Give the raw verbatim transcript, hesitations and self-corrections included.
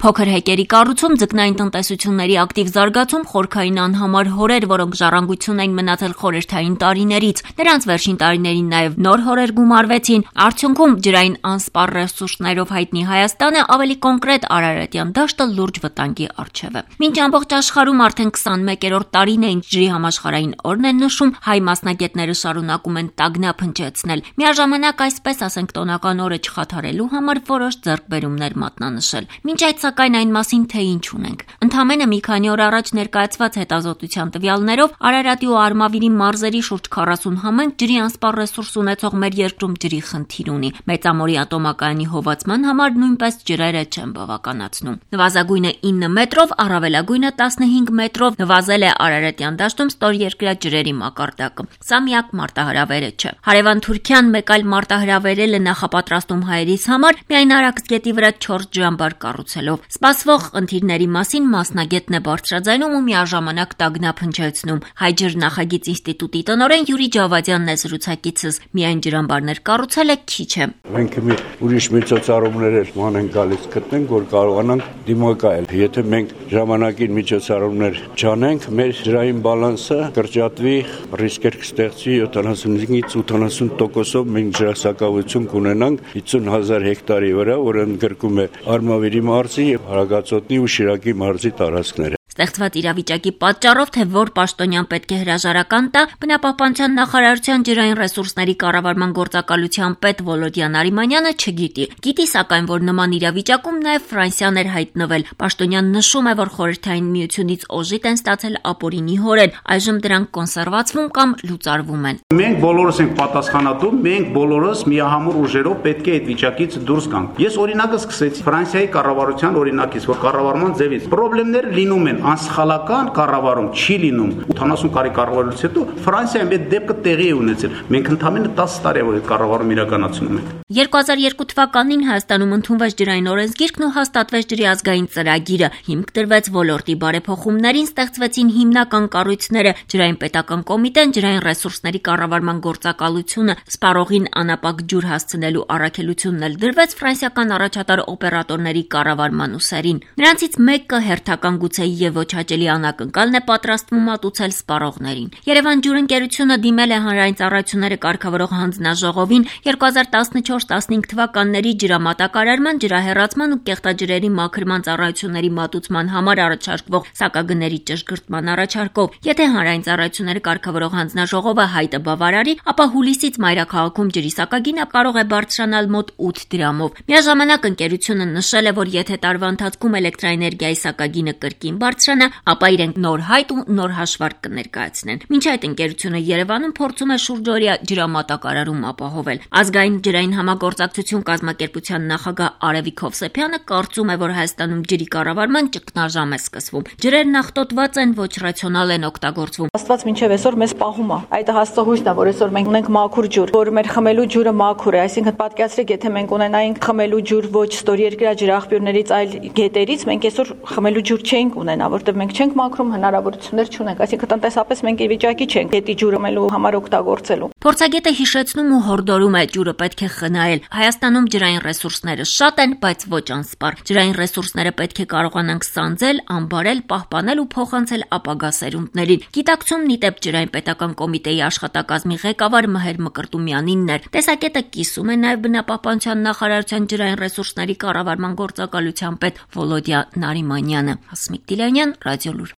Փոքր հեկերի կառուցում, ձկնային տնտեսությունների ակտիվ զարգացում, խորքային անհամար հորեր, որոնք ժառանգություն էին մնացել խորհրդային տարիներից, նրանց վերջին տարիներին նաև նոր հորեր գումարվեցին, արդյունքում ջրային անսպառ ռեսուրսներով հայտնի Հայաստանը ավելի կոնկրետ Արարատյան դաշտը լուրջ վտանգի առջև է։ Մինչ ամբողջ աշխարհում արդեն քսանմեկերորդ տարին է ինչ ջրի համաշխարհային օրն են նշում, հայ մասնագետները շարունակում են տագնապ հնչեցնել։ Միաժամանակ այսպես ասենք տոնական օրը չխաթարելու համար որոշ ձեռքբերումներ մատնանշել։ Մինչ այդ սակայն այն մասին թե ինչ ունենք։ Ընդամենը մի քանի օր առաջ ներկայացված հետազոտության տվյալներով Արարատի ու Արմավիրի մարզերի շուրջ քառասուն համայնք ջրի անսպառ ռեսուրս ունեցող մեր երկրում ջրի խնդիր ունի։ Մեծամորի ատոմակայանի հովացման համար նույնպես ջրերը չեն բավականացնում։ Նվազագույնը ինը մետրով, առավելագույնը տասնհինգ մետրով նվազել է Արարատյան դաշտում ստորերկրյա ջրերի մակարդակը։ Սա միակ մարտահրավերը չէ։ Հարևան Թուրքիան մեկ այլ մարտահրավերել է նախապատրաստում հայերիս համար միայն Արաքս գետի վրա չորս ջրամբար կառուցելով։ Սպասվող խնդիրների մասին մասնագետն է բարձրաձայնում ու միաժամանակ տագնապ հնչեցնում։ Հայ ջրնախագիծ ինստիտուտի տնօրեն Յուրի Ջավադյանն է զրուցակիցս։ Միայն ջրամբարներ կառուցելը քիչ է։ Մենք մի ուրիշ միջոցառումներ էլ ման են գալիս գտնենք, որ կարողանանք դիմակայել։ Եթե մենք ժամանակին միջոցառումներ չանենք, մեր ջրային բալանսը կրճատվի, ռիսկեր կստեղծվի յոթանասունից ութանասուն տոկոսով մենք ջրասակավություն կունենանք հիսուն հազար հեկտարի վրա, որը ընդգրկում է Արմավիրի մարզի եւ Հարագածոտնի ու Շիրակի մարզի տարածքները։ Ստեղծված իրավիճակի պատճառով, թե որ պաշտոնյան պետք է հրաժարական տա, բնապահպանության նախարարության ջրային ռեսուրսների կառավարման գործակալության պետ Վոլոդիա Նարիմանյանը չգիտի։ Գիտի սակայն, որ նման իրավիճակում նաև Ֆրանսիան էր հայտնվել։ Պաշտոնյան նշում է, որ խորհրդային միությունից օժիտ են ստացել ապօրինի հորեր, այժմ դրանք կոնսերվացվում կամ լուծարվում են։ Մենք բոլորս ենք պատասխանատու, մենք բոլորս միահամուռ ուժերով պետք է այդ վիճակից դուրս գանք։ Ես օրինակը սկսեցի Ֆրանսիայի կառավարության օրինակից, որ կառավարման ձևից խնդիրներ լինում են, անսխալական կառավարում չի լինում։ ութանասուն տարի կառավարությունից հետո Ֆրանսիայում այդ դեպքը տեղի է ունեցել։ Մենք ընդամենը տասը տարի է որ այդ կառավարում իրականացնում ենք։ երկու հազար երկու թվականին Հայաստանում ընդունվեց ջրային օրենսգիրքն ու հաստատվեց ջրի ազգային ծրագիրը։ Հիմք դրվեց ոլորտի բարեփոխումներին, ստեղծվեցին հիմնական կառույցները՝ ջրային պետական կոմիտեն, ջրային ռեսուրսների կառավարման գործակալությունը, սպառողին անապակ ջուր հասցնելու առաքելությունն էլ դրվեց ֆրանսիական առաջատար օպերատորների կառավարման ուսերին։ Նրանցից մեկը հերթական գուցե եւ ոչ հաճելի անակնկալն է պատրաստվում մատուցել սպառողներին։ Երևան ջուրընկերությունը դիմել է հանրային ծառայությունները կարգավորող հանձնաժողովին երկու հազար տասնչորս տասնհինգ թվականների ջրամատակարարման, ջրահեռացման ու կեղտաջրերի մաքրման ծառայությունների մատուցման համար առաջարկվող սակագների ճշգրտման առաջարկով։ Եթե հանրային ծառայությունները կարգավորող հանձնաժողովը հայտը բավարարի, ապա հուլիսից մայրաքաղաքում ջրի սակագինը կարող է բարձրանալ մոտ ութ դրամով։ Միաժամանակ ընկերությունը նշել է, որ եթե տարվա ընթացքում էլեկտրաէներգիայի սակագինը կրկին բարձրանա, ապա իրենք նոր հայտ ու նոր հաշվարկ կներկայացնեն։ Մինչ այդ ընկերությունը Երևանում փորձում է շուրջօրյա ջրամատակարարում ապահովել։ Ազգային ջրային համագործակցություն կազմակերպության նախագահ Արևիկ Հովսեփյանը կարծում է, որ Հայաստանում ջրի կառավարման ճգնաժամ է սկսվում։ Ջրերն աղտոտված են, ոչ ռացիոնալ են օգտագործվում։ Աստված մինչև այսօր մեզ պահում է։ Այդ հաստողույթն է, որ այսօր մենք ունենք մաքուր ջուր, որ մեր խմելու ջուրը մաքուր է, այսինքն պատկերացրեք, եթե մենք ունենայինք խմելու ջուր ոչ ստորերկրյա ջրաղբյուրներից, այլ գետերից, մենք այսօր խմելու ջուր չենք ունենա, որտեղ մենք չենք մաքրում, հնարավորություններ չունենք, այսինքն տնտեսապես մենք ի վիճակի չենք գետի ջուրը մելու համար օգտագործելու։ Փորձագետը հիշեցնում ու հորդորում է ջուրը պետք է խնայել։ Հայաստանում ջրային ռեսուրսները շատ են, բայց ոչ անսպառ։ Ջրային ռեսուրսները պետք է կարողանանք սանձել, անբարել, պահպանել ու փոխանցել ապագա սերունդներին։ Գիտակցումն ի դեպ ջրային պետական կոմիտեի աշխատակազմի ղեկավար Մհեր Մկրտումյանինն էր։ Տեսակետը կիսում է նաև բնապահպանության նախարարության ջրային ռեսուրսների կառավարման գործակալության պետ Վոլոդիա Նարիմանյանը։ Հասմիկ Դիլանյան, Ռադիոլուր։